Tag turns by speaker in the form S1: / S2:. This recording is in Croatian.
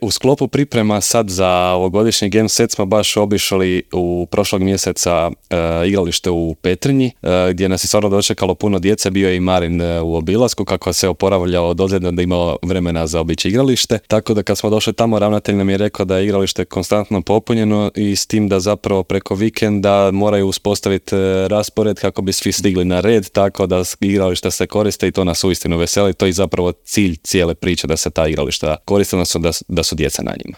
S1: U sklopu priprema sad za ovogodišnji Game Set smo baš obišli u prošlog mjeseca igralište u Petrinji, gdje nas je stvarno dočekalo puno djece, bio je i Marin u obilasku kako se oporavljao od ozljeda da imao vremena za obići igralište, tako da kad smo došli tamo ravnatelj nam je rekao da je igralište konstantno popunjeno i s tim da zapravo preko vikenda moraju uspostaviti raspored kako bi svi stigli na red, tako da igrališta se koriste i to nas uistinu veseli, to je zapravo cilj cijele priče da se ta igrališta koriste, odnosno da su djeca na njima.